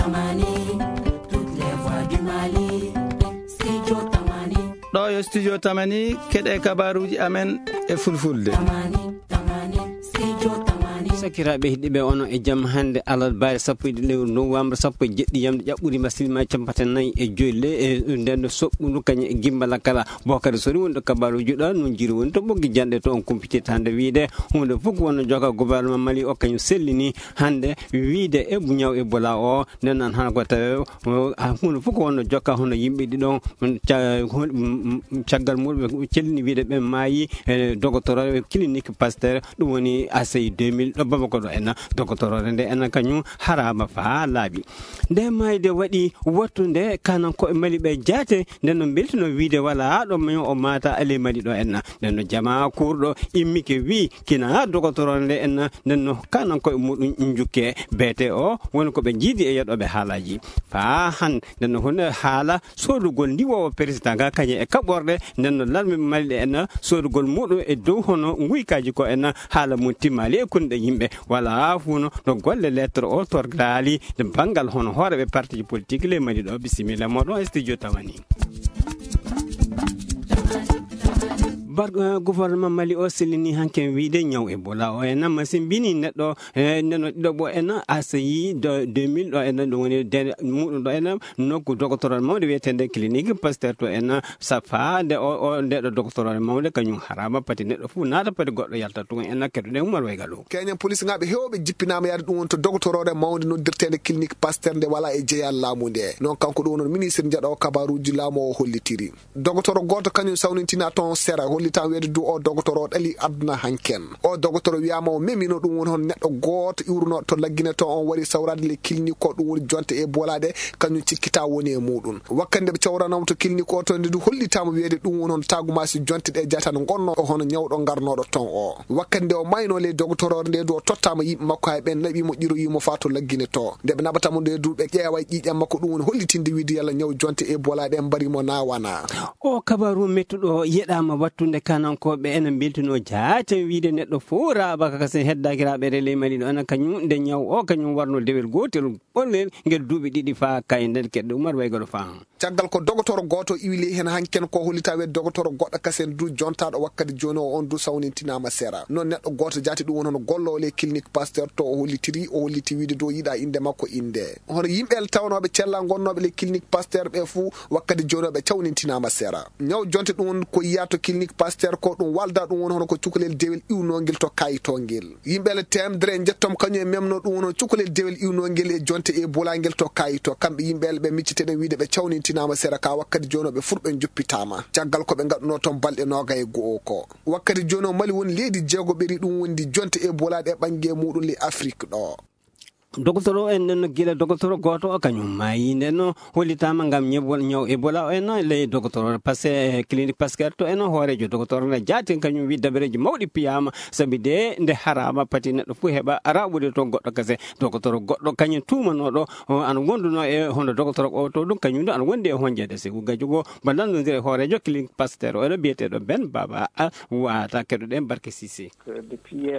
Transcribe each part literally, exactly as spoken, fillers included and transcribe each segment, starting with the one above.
Tamani, toutes les voix du Mali, Studio Tamani. Ɗo yo Studio Tamani, keɗe kabaruuji amen e fulfulde. Tamani, Tamani, Studio Tamani. Sakiraaɓe heɗiiɓe, onon e jam hannde alarbaare sappo e ɗiɗi lewru nowambar, sappo e jeɗɗi yamde ƴaɓɓuri mbasilma campate nayi e joy le, e nden no soɓɓundu kañum e gimbala kala. Bokari Sori woni ɗo kabaruuji ɗo, noon jiri woni to ɓoggi janɗe to on kumpitirta hannde wiyde huunde fof ko wonno joka gouvernement Mali o kañum sellini hannde wiyde e ñaw Ebola o. Nden noon hana ko tawe, o, a, huunde fof ko wonno jokka hono yimɓe ɗiɗon, mm, ca-, hon-, mm, mm, caggal muɗum ɓe cellini wiyde ɓe maayi e dogotoro e clinique Pasteur, ɗum woni A C I deux mille ɗo Bamako ɗo en, dogotoro nde en kañum harama faa laaɓi. Nde maayde waɗi wattu nde kanan ko e Mali ɓe jaate, nden no mbeltino wiyde wala ɗo mayo o maata ale Mali ɗo en. Nden no jama kurɗo immike wi kina dogotoro nde en, nden no kanan ko e muɗum jukke. Beete o woni ko ɓe jiidi e yeɗoɓe haalaji. Faa han, nden no hunde haala sodugol ndiwoowo président ga kañum e kaɓorɗe, nden no larme Mali ɗe en sodugol muɗum e dow hono nguykaaji ko en haala mum timmaali e kunɗe yimɓe. Wala fuuno no golle lettre o torgaali nde banngal hono hooreɓe partiji politique le Mali ɗo. Bisimilla moɗon e studio Tamani. Bar-, eh, gouvernement Mali o sellini hanken wiyde ñaw Ebola o en masimbini neɗɗo, eh, neno ɗiɗo ɓo en A C I deux mille ɗo en ɗum woni de muɗum ɗo en nokku dogotoro mawde wiyetende clinique Pasteur to en safa nde o, o nde ɗo dogotoro mawde kañum harama pati neɗɗo fof naata pati goɗɗo yalta tun en kedduɗen Umar Waygalo. Keñen police ngaɓe hewɓe jippinama yaade ɗum woni to dogotoroore mawde noddirtende clinique Pasteur nde wala e jeyal laamu nde. Noon kanko ɗum woni ministre njaɗo kabaruji laamu o hollitiri. Dogotoro gooto kañum sawnintina toon sera, hollitan weede du o dogotoro o ɗali aduna hanken. O dogotoro wiyama o memino ɗum woni hon neɗɗo gooto iwruno to laggine to on wari sawrade le clinique ko ɗum woni jonte e bolaɗe kañum cikkita woni e muɗum. Wakkati nde ɓe cawranamo to clinique o to nde du hollitama weede ɗum woni hon tagumasi jonte ɗe jatan gonno o hono ñawɗo ngarnoɗo toon o. Wakkati nde o mayno le dogotoro nde du o tottama yimɓe makko hay ɓen naɓimo ƴiroyimo fa to laggine to. Nde ɓe naɓatamo nde du ɓe ƴeewa ƴiiƴam makko ɗum woni hollitinde wiide yalla ñaw jonte e bolaɗe mbari mo na wana. O kabaru mettuɗo yeɗama wattunde kanankooɓe ena mbeltino jaaten wiide neɗɗo fof raaɓa ka kasen heddakiraaɓe relais Mali ɗo ena kañum nde ñaw o kañum warno dewel gootel ɓollel ngel duuɓi ɗiɗi faa kay nder keɗɗe Umar Waygaɗo faa. Caggal ko dogotoro gooto iwi ley heen hanken ko hollita wiyde dogotoro goɗɗo kasen du jontaɗo wakkati jooni o on du sawnintinama sera. Noon neɗɗo gooto jaati ɗum woni hono gollowo ley clinique Pasteur to o hollitiri, o holliti wiide du o yiɗa innde makko innde. Hono yimɓe el tawnoɓe cella gonnooɓe ley clinique Pasteur ɓe fuu wakkati jooni o ɓe cawnintinama sera. Ñaw jonte ɗum woni ko yiya to clinique Pasteur ko ɗum walda ɗum woni hono ko cukalel dewel iwnongel to kayitongel. Yimɓe le temedere e njettom kañum e memno ɗum woni hono cukalel dewel iwnongel e jonte e bolangel to kayito. Kamɓe yimɓe le ɓe micciteɗen wiide ɓe cawnintinama sera ka wakkati jooni o ɓe fuu ɓe joppitama. Caggal ko ɓe gaɗuno toon balɗe noga e go'o ko. Wakkati jooni o Mali woni leydi jeego ɓeri ɗum wondi jonte e bolaɗe e ɓange muɗum le Afrique ɗo. Dogotoro en nden no gila dogotoro gooto o kañum maayi nden no hollitaama ngam ñebol ñaw Ebola o en no ley dogotoro parce que eh, clinique Pasteur to en hooreejo dogotoro ne jaati kañum wi dabareeji mawɗi piyaama sabi de nde haraama pati neɗɗo fof heɓa raɓude to goɗɗo kase dogotoro goɗɗo kañum tuumanooɗo o ana wonduno e hono dogotoro o to ɗum kañum ɗo ana wondi e honjeede sigu gajugo mba nanndondira e hooreejo clinique Pasteur o eno biyeteeɗo Ben Baba a wata keɗoɗen Barke Sisi.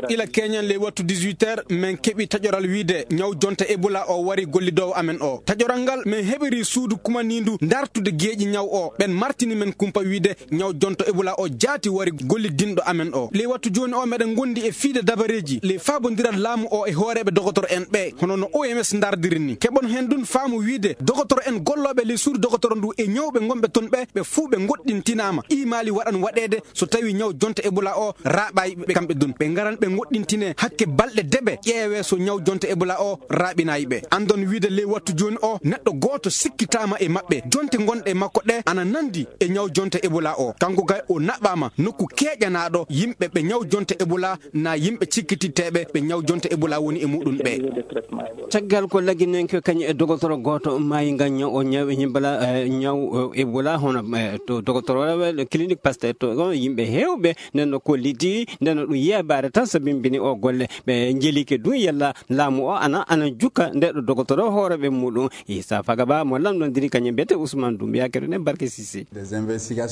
Ila keñen ley wattu dix-huit heures men keɓi taƴoral wiide ñaw jonte Ebola o wari gollidoowo amen o. Taƴoral ngal men heɓiri suudu kumanindu dartude geeƴi ñaw o. Ɓen martini men kumpa wiide ñaw jonto Ebola o jaati wari gollidinɗo amen o. Ley wattu jooni o meɗen gondi e fiide dabareeji ley faabondiral laamu o e hooreeɓe dogotoro en ɓe hono no O M S ndardiri ni. Keɓon heen dun faamu wiide dogotoro en gollooɓe ley suudu dogotoro ndu e ñawɓe gonɓe ton ɓe ɓe fuu ɓe goɗɗintinaama. Imaali waɗan waɗeede so tawi ñaw jonte Ebola o raaɓaay ɓe kamɓe dun ɓe ngaran ɓe goɗɗintine hakke balɗe deɓe ƴeewe so ñaw jonte Ebola o raaɓinaay ɓe. Andon wiide ley wattu jooni o neɗɗo gooto sikkitaama e maɓɓe jonte gonɗe e makko ɗe ana nandi e ñaw jonte Ebola o kanko kay o naɓaama nokku keeƴanaaɗo yimɓe ɓe ñaw jonte Ebola na yimɓe cikkititteeɓe ɓe ñaw jonte Ebola woni e muɗum ɓe. Caggal ko lagginenke kañum e dogotoro gooto maayi ngam ñaw o ñaw e ñimbala eh, ñaw eh, Ebola hono eh, to dogotoro clinique Pasteur to on yimɓe heewɓe nden no kolliti nden no ɗum yeebaare tan so bimbini o golle ɓe njelike ɗum yalla laamu o ana Ana jukka nde ɗo dogotoro hooreɓe muɗum, Issa Fagaba mo lamɗondiri kañum mbiyete Ousmane Doumbouya, keɗoɗen Barke Cissé.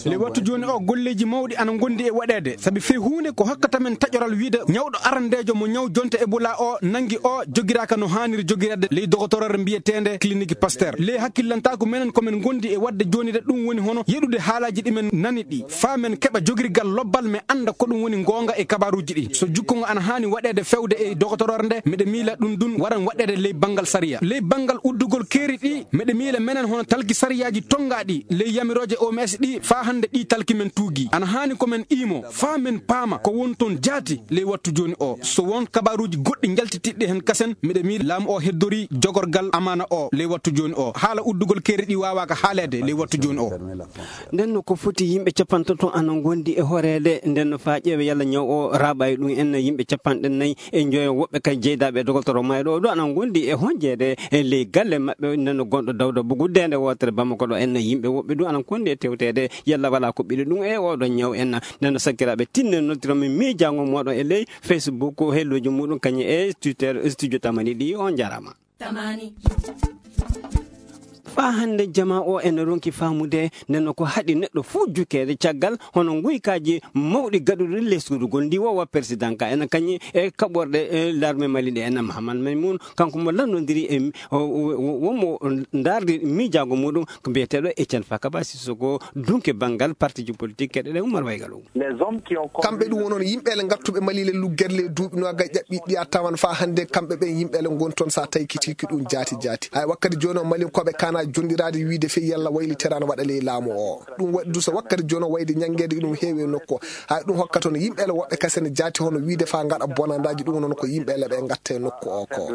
Le wattu jooni o, golleeji mawɗi ana ngondi e waɗeede, sabi fii huunde ko hokkata men taƴoral wiide ñawɗo arandeejo mo ñaw jonte Ebola o nangi o jogiraaka no haaniri jogireede ley dogotoroore mbiyeteende Clinique Pasteur. Le hakkillantaaku menen ko men ngondi e waɗde jooni de, ɗum woni hono yeɗude haalaaji ɗi men nani ɗi, faa men keɓa jogirgal lobbal, men annda ko ɗum woni ngoonga e kabaaruuji ɗi. So jukkongo ana haani waɗeede fewde e dogotoroore nde, miɗa miila ɗum ɗum waran waɗeede ley banngal sariya. Ley banngal uddugol keeri ɗi, miɗa miila menen hono talki sariyaaji tonngaaɗi ley yamirooje O M S ɗi, faa hannde ɗi talki men tuugi. Ana haani ko men iimo, faa men paama ko won toon jaati ley wattu jooni o. So won kabaaruuji goɗɗi njaltitiiɗi heen kasen, miɗa miila laamu o heddorii jogorgal amaana o ley wattu jooni o. Haala uddugol keeri ɗi waawaaka haaleede ley wattu jooni o. Nden no ko foti yimɓe capantato ana ngondi e horeede, nden no faa ƴeewe yalla ñaw o raaɓa e ɗum en, yimɓe capanɗe nayi e njoyo, woɓɓe kay jeydaaɓe e dogotoro mayɗo o ɗo ana ngondi e honjeede e ley galle maɓɓe, nden no gonɗo Dawda Bugu, deende wootere Bamako ɗo en, yimɓe woɓɓe du ana kondi e tewteede yalla wala ko ɓiɗo ɗum e oɗo ñaw en. Nden no sakkiraaɓe tinne noddiromi miijaango moɗon e ley Facebook, helloji muɗum kañum e Twitter, studio tamani ɗi, on jarama. Tamani. Faa hannde jama o ene ronki faamude neno ko haɗi neɗɗo fuu jukeede caggal hono nguykaaji mawɗi gaɗuɗi lesɗudugol ndi wowa président ka ena kañi e kaɓorɗe, e l'armée Mali ɗe ena Mahaman Maymoun, kanko mo lanndondiri e mi-, o, o, o, wonmo ndaardi miijaago muɗum ko mbiyeteeɗo Etienne Fakaba Sissoko, dunke banngal partiji politique keɗe ɗe Oumar Waygalo. Kamɓe ɗum wonon yimɓe ele ngattuɓe Mali le luggerle e duuɓi noagay ƴaɓɓiɗi ɗi a tawan faa hannde kamɓe ɓen yimɓe ele ngon toon sa taykitiki ɗum jaati jaati. Hay wakkati jooni o Malinkooɓe kana jondiraade wiide fey yalla wayliteraano waɗa ley laamu o. Ɗum waɗi du so wakkati jooni o wayde ñanngeede ɗum heewi e nokku o. Hay ɗum hokka toon yimɓe ele woɓɓe kasene jaati hono wiide faa ngaɗa bonandaaji ɗum noon ko yimɓe ele ɓe ngatta e nokku o ko.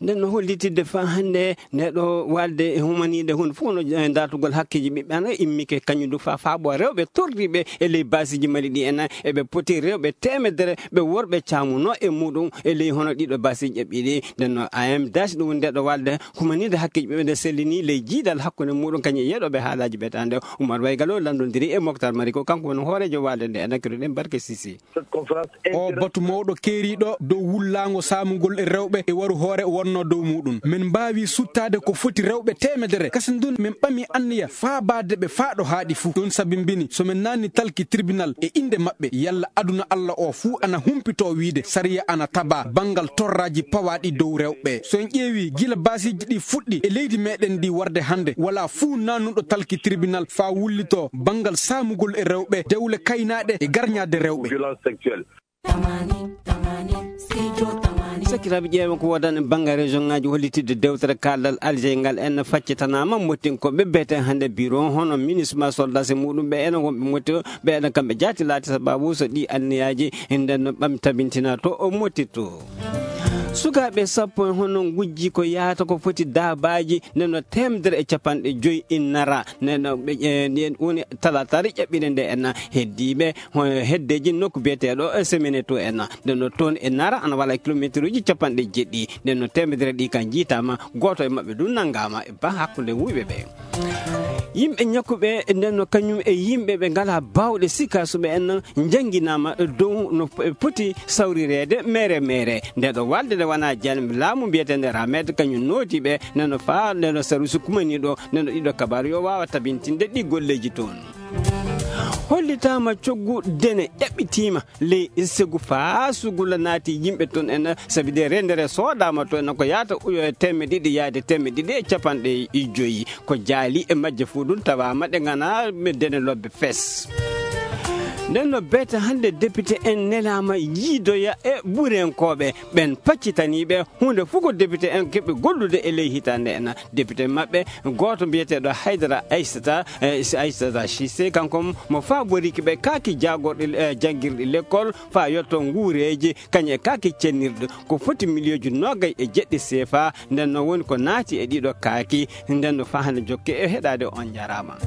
Nden no hollitidde faa hannde nde ɗo walde e humaniiɗe huunde fof no, eh, dartugol hakkeeji ɓiɓɓe ana immike kañum du faa faabo rewɓe torriiɓe e ley baasiiji Mali ɗi ena eɓe poti rewɓe teemedere ɓe worɓe caamunoo e muɗum e ley hono ɗiɗo baasiiji ƴaɓɓiiɗi. Nden no A M daasi ɗum woni nde ɗo walde humaniiɗe hakkeeji ɓiɓɓe nde sellini ley jiidal hakkunde muɗum kañum e yeɗoɓe haalaaji ɓe tande. Oumar Waygalo lanndondiri e Moctar Mariko, kanko woni hooreejo walde nde ena keɗoɗen Barke Sisi. O batu mawɗo keeriiɗo dow wullaango saamugol e rewɓe e waru hoore wonnoo dow muɗum. Men mbaawi suttaade ko foti rewɓe teemedere. Kasen dun men ɓami anniya faabaade ɓe faa ɗo haaɗi fuu. Ɗum sabimbini so men naanni talki tribunal e innde maɓɓe, yalla aduna Alla o fuu ana humpitoo wiide sariya ana tabaa banngal torraaji pawaaɗi dow rewɓe. So en ƴeewi gila baasiiji ɗi fuɗɗi e leydi meɗen ndi warde hannde, wala fuu naannuɗo talki tribunal faa wullitoo banngal saamugol e rewɓe, dewle kaynaaɗe e garñaade rewɓe. Violence sexuelle. Sakiraaɓe, ƴeewen ko woodani bannge région ŋaaji hollitidde dewtere kaldal Alger ngal en faccitanaama mottinkoɓe beten hannde bureau hono ministre ma soldat e muɗum ɓe ena wonɓe motti ɓe ena kamɓe jaati laati sababu so ɗi anniyaaji nden no ɓam tabintina to o mottito. Sukaaɓe sappo en hono ngujji ko yahata ko foti daabaaji nden no teemedere e capanɗe joyi innara nden no ɓe, eh, nden woni talaataare ƴaɓɓire nde en heddiiɓe ho-, heddeeji nokku biyeteeɗo, eh, Semeneto en. Nden no toon e Nara ana wala kilometeruuji capanɗe jeɗɗi. Nden no teemedere ɗi kan jiitaama, gooto e maɓɓe du nanngaama e ba hakkunde wuyɓe ɓe. Yimɓe ñakkuɓe nden no kañum e yimɓe ɓe ngala baawɗe sikka suɓe en jannginaama dow no p-, poti sawrireede mere mere. Nde ɗo walde nde wona jan laamu mbiyeteende Ramed kañum nooti ɓe nden no faa nden no sarusi kumaniiɗo nden no ɗiɗo kabaaru yo waawa tabintinde ɗi golleeji toon. Hollitaama coggu dene ƴaɓɓitiima ley segu faa sugula naati yimɓe toon en, sabi de rendere soodaama toon en ko yaata uyo e teemedde ɗiɗi yaade teemedde ɗiɗi e capanɗe joyi. Ko jaali e majje fuu ɗum tawaama ɗe ngana dene lobbe fes. Nden no beete hannde député en nelaama yiidoya e ɓurenkooɓe ɓen paccitaniiɓe huunde fof ko député en keɓe gollude e ley hitaande en. Député maɓɓe gooto mbiyeteeɗo Haydara Aissata, eh, Aissata Cissé, kanko mo faaboriki ɓe kaaki jaagorɗe, eh, janngirɗe lekkol faa yotto nguureeji, kañum e kaaki cennirɗe ko foti miliyooji noogay e jeɗɗi seefa. Nden no woni ko naati e ɗiɗo kaaki. Nden no faa hannde jokke e heɗaade on njaaraama.